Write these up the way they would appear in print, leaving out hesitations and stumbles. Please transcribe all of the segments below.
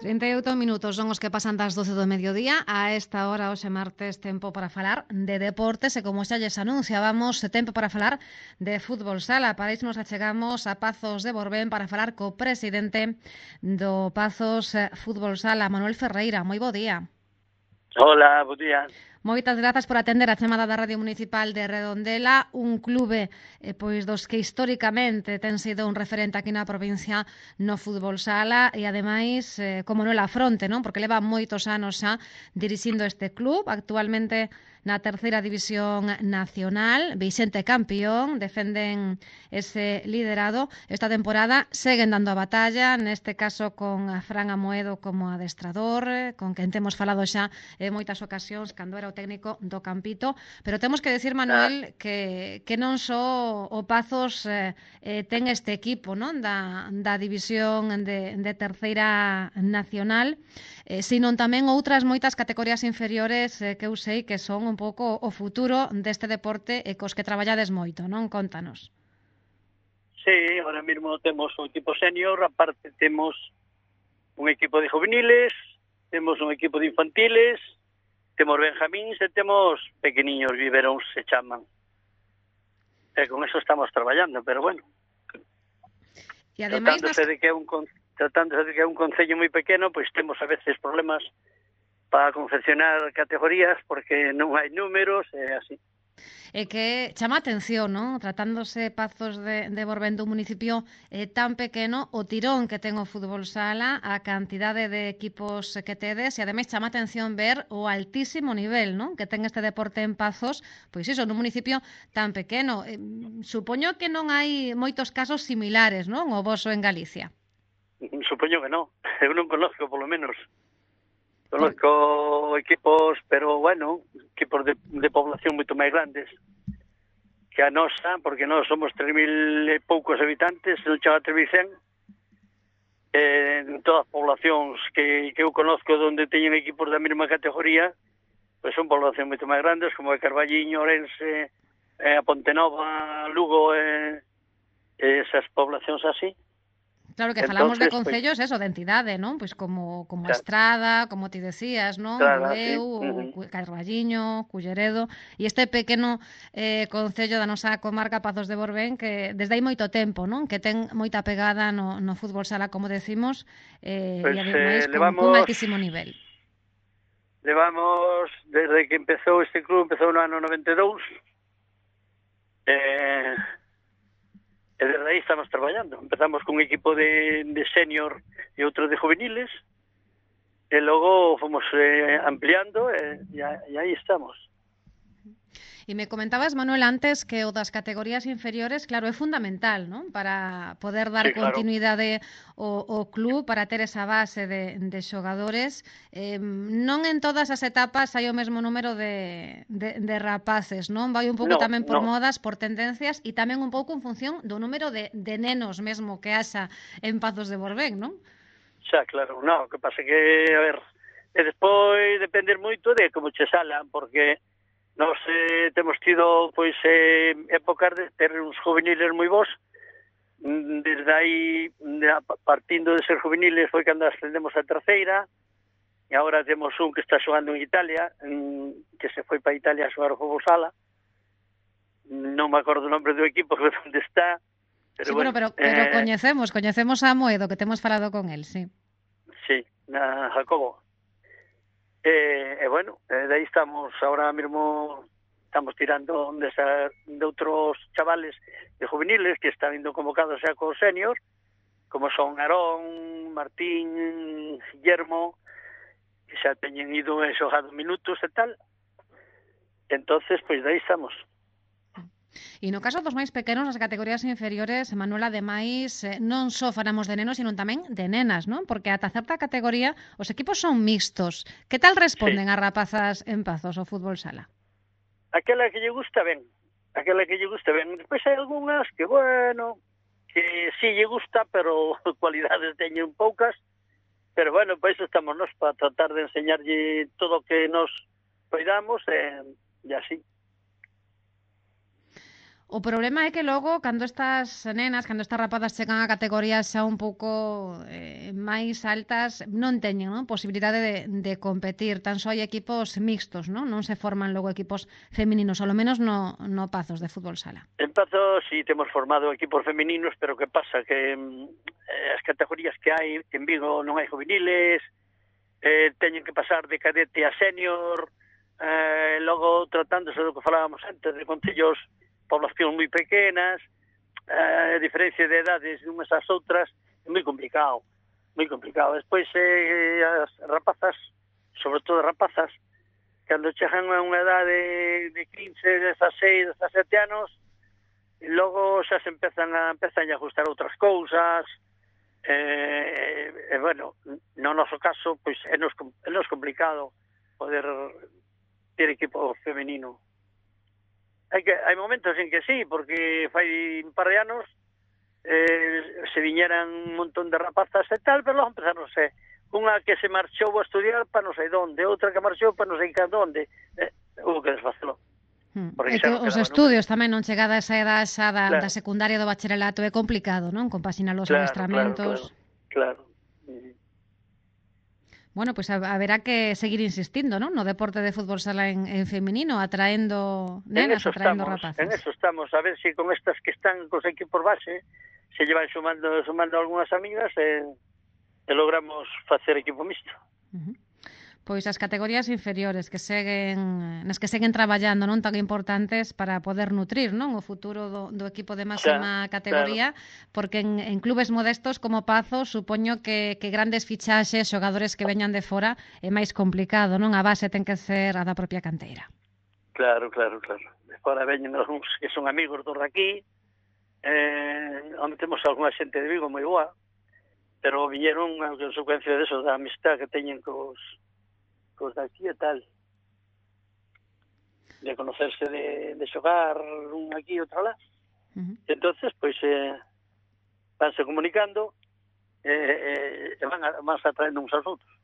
38 minutos son os que pasan das 12 do mediodía. A esta hora, hoxe martes, tempo para falar de deportes e, como xa lles anunciábamos, tempo para falar de fútbol sala. Para iso nos achegamos a Pazos de Borbén para falar co presidente do Pazos Fútbol Sala, Manuel Ferreira. Moi bo día. Hola, bo día. Moitas grazas por atender a chamada da Radio Municipal de Redondela, un clube pois dos que históricamente ten sido un referente aquí na provincia no fútbol sala e ademais, como non la fronte, non? Porque leva moitos anos xa dirixindo este club, actualmente na terceira división nacional, Vicente campeón, defenden ese liderado. Esta temporada seguen dando a batalla, neste caso con Fran Amoedo como adestrador, con quen temos falado xa en moitas ocasións cando era o técnico do Campito, pero temos que decir, Manuel, que non só o Pazos ten este equipo, non, da división de terceira nacional, sino tamén outras moitas categorías inferiores que eu sei que son un pouco o futuro deste deporte e cos que traballades moito, non? Contanos. Sí, ahora mismo temos un equipo senior, aparte temos un equipo de juveniles, temos un equipo de infantiles, temos benjamíns e temos pequeniños biberóns, se chaman. E con eso estamos traballando, pero bueno. E ademais tratándose de que é un concello moi pequeno, pois temos a veces problemas para confeccionar categorías porque non hai números e así. E que chama a atención, non? Tratándose Pazos de Borbén dun municipio tan pequeno, o tirón que ten o fútbol sala, a cantidade de equipos que tedes, e ademais chama a atención ver o altísimo nivel, non? Que ten este deporte en Pazos, pois iso, nun municipio tan pequeno. Supoño que non hai moitos casos similares, non? O voso en Galicia. Supoño que non. Eu non conozco, polo menos. Conozco equipos, pero bueno, equipos de población moito máis grandes que a nosa, porque nós somos 3.000 e poucos habitantes, non chama 3.100. En todas as poblacións que eu conozco onde teñen equipos da mesma categoría, pois son poblacións moito máis grandes, como a Carballiño, Ourense, a Pontenova, Lugo, esas poblacións así. Claro, que falamos de concellos, eso, de entidade, non? Pois como claro. Estrada, como ti decías, non? Bueu, sí. Carballiño, Culleredo, e este pequeno concello da nosa comarca Pazos de Borbén, que desde hai moito tempo, non? Que ten moita pegada no fútbol sala, como decimos, pues, e ademais con altísimo nivel. Levamos, desde que empezou este club, empezou no ano 92, e desde aí estamos traballando. Empezamos con un equipo de senior e outro de juveniles, e logo fomos ampliando e aí estamos. E me comentabas, Manuel, antes que o das categorías inferiores, claro, é fundamental, non? Para poder dar continuidade ao club, para ter esa base de xogadores. Non en todas as etapas hai o mesmo número de rapaces, non? Vai un pouco tamén por modas, por tendencias, e tamén un pouco en función do número de nenos mesmo que haxa en Pazos de Borbén, non? Xa, claro, non, o que pasa que, a ver, e despois depender moito de como che salan, porque nós temos tido pois épocas de ter uns juveniles moi bons. Desde aí, partindo de ser juveniles, foi cando ascendemos a terceira, e agora temos un que está xogando en Italia, que se foi para Italia a xogar o fútbol sala. Non me acordo o nombre do equipo que onde está, pero sí, bueno, pero coñecemos a Amoedo, que temos falado con el, sí. Sí, na Jacobo. E bueno, de aí estamos, ahora mesmo estamos tirando de outros chavales de juveniles que están indo convocados xa con senior, como son Arón, Martín, Guillermo, que xa teñen ido e xogado minutos e tal. Entonces, pois de aí estamos. E no caso dos máis pequenos, as categorías inferiores, Manuel, ademais, non só falamos de nenos, sino tamén de nenas, non? Porque ata certa categoría os equipos son mixtos. Que tal responden as rapazas en Pazos ao fútbol sala? Aquela que lle gusta ben. Despois hai algunhas que, bueno, que sí lle gusta, pero cualidades teñen poucas. Pero bueno, pois estamos nós para tratar de enseñarlle todo o que nos poidamos e así. O problema é que logo, cando estas nenas, cando estas rapadas chegan a categorías xa un pouco máis altas, non teñen, non, posibilidade de competir. Tan só hai equipos mixtos, non? Non se forman logo equipos femininos, ao menos no Pazos de fútbol sala. En Pazos sí temos formado equipos femininos, pero que pasa? Que as categorías que hai en Vigo non hai juveniles, teñen que pasar de cadete a senior, logo tratándose do que falábamos antes, de concellos poblacións moi pequenas, a diferencia de edades de unhas ás outras é moi complicado, moi complicado. Despois as rapazas, sobre todo as rapazas, cando chegan a unha edade de 15, 16, 17 anos, logo xa se empezan a ajustar outras cousas, bueno, no noso caso, pois é nos complicado poder ter equipo femenino. Hai momentos en que sí, porque fai un par de anos se viñeran un montón de rapazas e tal, pero logo empezaron unha que se marchou a estudiar para non sei donde, outra que marchou para non sei onde, hubo que desfacelo. É que os estudios tamén non chegada a esa edad xa da secundaria do bacharelato é complicado, non? Compaxinar os adestramentos. Claro. Bueno, pues haberá que seguir insistindo, ¿no? No deporte de fútbol sala en femenino, atraendo nenas, atraendo rapazas. En eso estamos, a ver si con estas que están cos equipos base se llevan sumando algunhas amigas e logramos facer equipo mixto. Pois as categorías inferiores nas que seguen traballando, non, tan importantes para poder nutrir, non, o futuro do equipo de máxima categoría, claro. Porque en clubes modestos como Pazos supoño que grandes fichaxes, xogadores que veñan de fora é máis complicado, non? A base ten que ser a da propia canteira. Claro. De fora veñen algúns que son amigos dos daqui, onde temos algunha xente de Vigo moi boa, pero viñeron a consecuencia deso, da amistad que teñen cos daqui e tal, de conocerse, de xogar un aquí e outro lá. Entonces, pois vanse comunicando e van atraendo uns aos outros.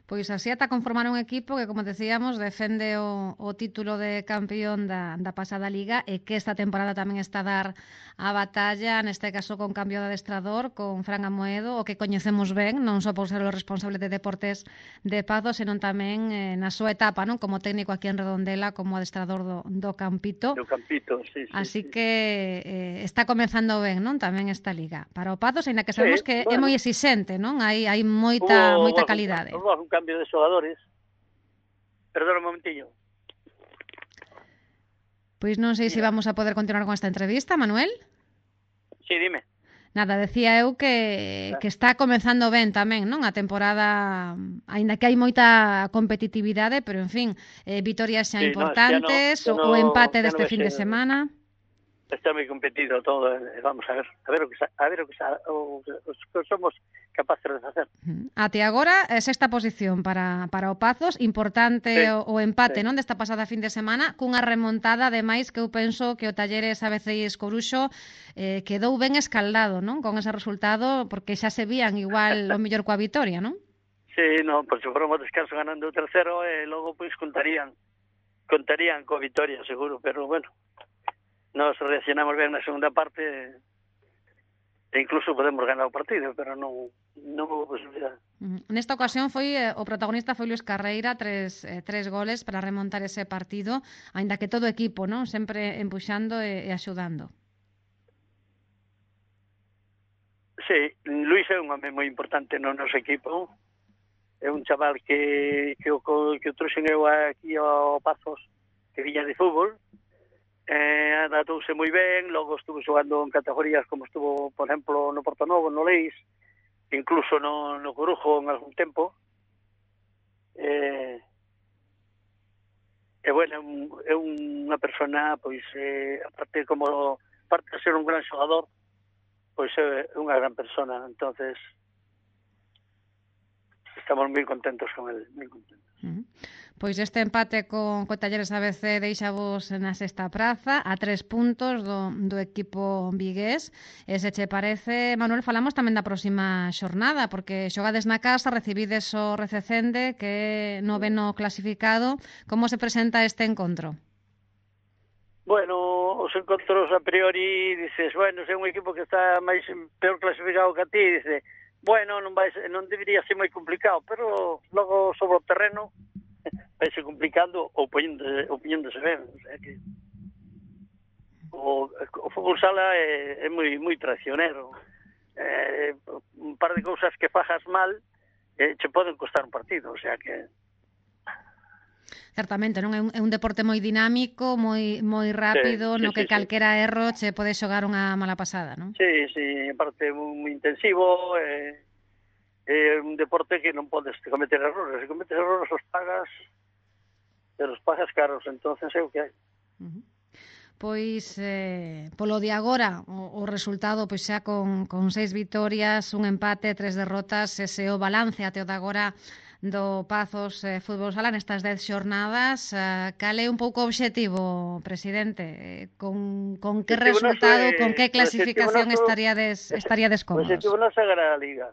Pois así ata conformar un equipo que, como decíamos, defende o título de campeón da pasada liga e que esta temporada tamén está a dar a batalla, neste caso con cambio de adestrador, con Fran Amoedo, o que coñecemos ben, non só por ser o responsable de deportes de Pazos, senón tamén na súa etapa, non, como técnico aquí en Redondela, como adestrador do Campito. Do Campito, sí. Así que está comenzando ben, non, tamén esta liga. Para o Pazos, aínda que sabemos que é moi exixente, non? Hai moita calidade. Un cambio de xogadores. Perdón un momentillo. Pois non sei se vamos a poder continuar con esta entrevista, Manuel. Sí, dime. Nada, decía eu que está comenzando ben tamén, non? A temporada, aínda que hai moita competitividade, pero en fin, vitorias xa importantes, o empate deste fin de semana. Está moi competido todo, vamos a ver o que somos capaces de facer. Até agora, sexta posición para o Pazos, importante o empate, non, desta pasada fin de semana, cunha remontada, ademais, que eu penso que o Talleres Abeceis Coruxo quedou ben escaldado, non, con ese resultado, porque xa se vían igual o mellor coa vitoria, non? Sí, non, por se foron o descanso ganando o tercero, e logo pois contarían coa vitoria, seguro, pero bueno, nos reaccionamos ben na segunda parte e incluso podemos ganar o partido, pero non houve posibilidade. Nesta ocasión o protagonista foi Luis Carreira, tres goles para remontar ese partido, aínda que todo o equipo, non, sempre empuxando e axudando. Sí, Luis é un home moi importante no noso equipo. É un chaval que o trouxen eu aquí ao Pazos, que viña de fútbol. Adaptouse moi ben, logo estuvo xogando en categorías como estuvo, por exemplo, no Portonovo, no Leis, incluso no Corujo en algún tempo. Bueno, é unha persona, pois, aparte de ser un gran xogador, pois é unha gran persona, entonces estamos moi contentos con ele, moi contentos. Pois este empate con Talleres ABC deixavos na sexta praza a 3 puntos do equipo vigués. E se che parece, Manuel, falamos tamén da próxima xornada, porque xogades na casa, recibides o Rececende, que é noveno clasificado. Como se presenta este encontro? Bueno, os encontros a priori dices, bueno, se é un equipo que está máis peor clasificado que a ti, dice, bueno, non debería ser moi complicado, pero logo sobre o terreno vai ser complicando ou poñéndose ben, o sea que o fútbol sala é moi traicionero. Un par de cousas que fajas mal che poden costar un partido, o sea que Certamente, non é un deporte moi dinámico, moi rápido, no que calquera erro che pode xogar unha mala pasada, non? Sí, aparte moi intensivo, é un deporte que non podes cometer errores. Se cometes errores os pagas caros, entonces é o que hai. Pois, polo de agora, o resultado pois xa con 6 vitorias, un empate, 3 derrotas, ese o balance até o de agora do Pazos Fútbol Sala nestas 10 xornadas. Cal é un pouco o obxectivo, presidente? Con que resultado, con que clasificación estaríades cómodos? O obxectivo noso é ganar a Liga.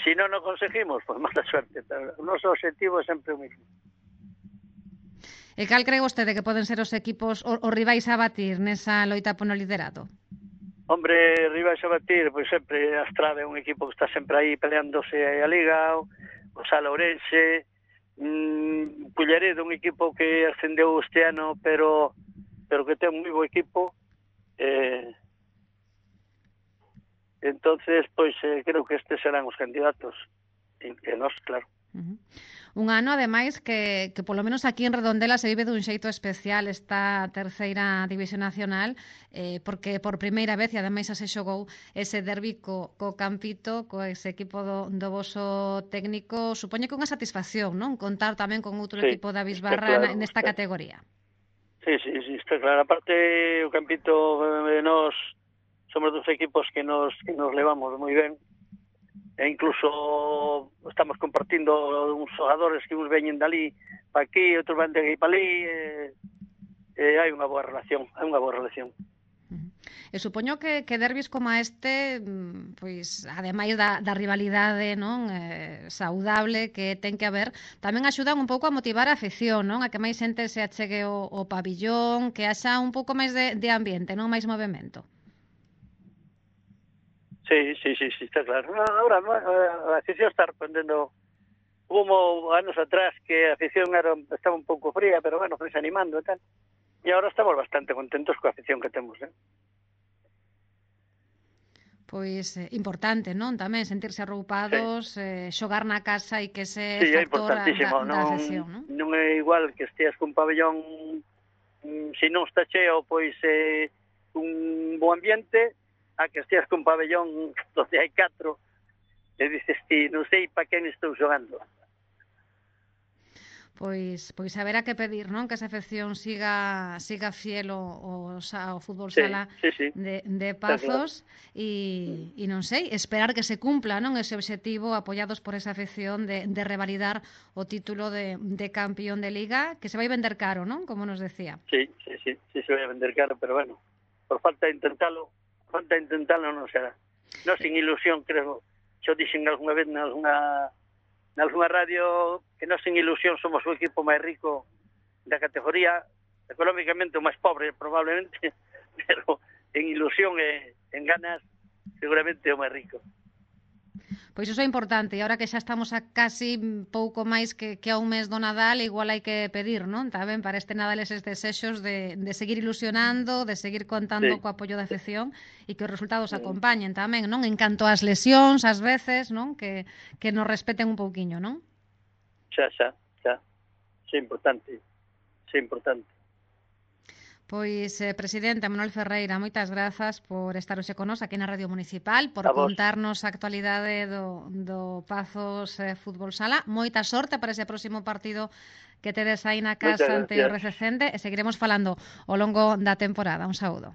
Se non o conseguimos, pois mala suerte. Pero o noso obxectivo é sempre o mismo. E cal cree vostede que poden ser os equipos, os rivais a batir nesa loita pono liderato? Hombre, rivais a batir, pois sempre a Estrada é un equipo que está sempre aí peleándose a Liga, o Sala Ourense, Culleredo, un equipo que ascendeu este ano, pero que ten un moi bo equipo. Entonces, pois creo que estes serán os candidatos. E nós, claro. Un ano, ademais, que polo menos aquí en Redondela se vive dun xeito especial esta terceira división nacional, porque por primeira vez, e ademais se xogou ese derbi co Campito, co ese equipo do voso técnico, supoño que unha satisfacción, non? Contar tamén con outro equipo da Bisbarra claro, nesta categoría. Sí, está claro. Aparte, o Campito, nós somos dos equipos que nos levamos moi ben, e incluso estamos compartindo uns xogadores que uns veñen dali para aquí, outros van de aquí para ali, hai unha boa relación, E supoño que derbis como este, pois, ademais da rivalidade, non, saudable que ten que haber, tamén axudan un pouco a motivar a afición, non? A que máis xente se achegue o pabillón, que haxa un pouco máis de ambiente, non? Máis movimento. Sí, está claro. Ahora a afición está respondendo. Hubo anos atrás que a afición estaba un pouco fría, pero bueno, foi animando e tal. E agora estamos bastante contentos coa afición que temos, Pois importante, non? Tamén sentirse arroupados, xogar na casa e que ese factor da afición, non? Non é igual que esteas cun pabellón, se non está cheo, pois un bo ambiente, a que esteas cun pabellón donde hai 4 e dices ti, non sei para quen estou xogando. Pois haberá que pedir, non? Que esa afección siga fiel ao fútbol sala de Pazos e non sei, esperar que se cumpla, non? Ese obxectivo apoiados por esa afección de revalidar o título de campeón de Liga, que se vai vender caro, non? Como nos decía. Sí, se vai vender caro, pero bueno, por falta de intentalo non será. Non sin ilusión, creo, xo dixen algunha vez nalgunha radio que nós sin ilusión somos o equipo máis rico da categoría, económicamente o máis pobre probablemente, pero en ilusión e en ganas seguramente o máis rico. Pois iso é importante, e agora que xa estamos a casi pouco máis que a un mes do Nadal, igual hai que pedir, non? Tamén para este Nadal eses desexos de seguir ilusionando, de seguir contando co apoio da afección e que os resultados acompañen tamén, non? En canto ás lesións, ás veces, non? Que nos respeten un pouquiño, non? Xa. É importante. Pois, presidente Manuel Ferreira, moitas grazas por estar hoxe con nos aquí na Radio Municipal, por contarnos a actualidade do Pazos Fútbol Sala. Moita sorte para ese próximo partido que tedes aí na casa ante o Rececende e seguiremos falando ao longo da temporada. Un saúdo.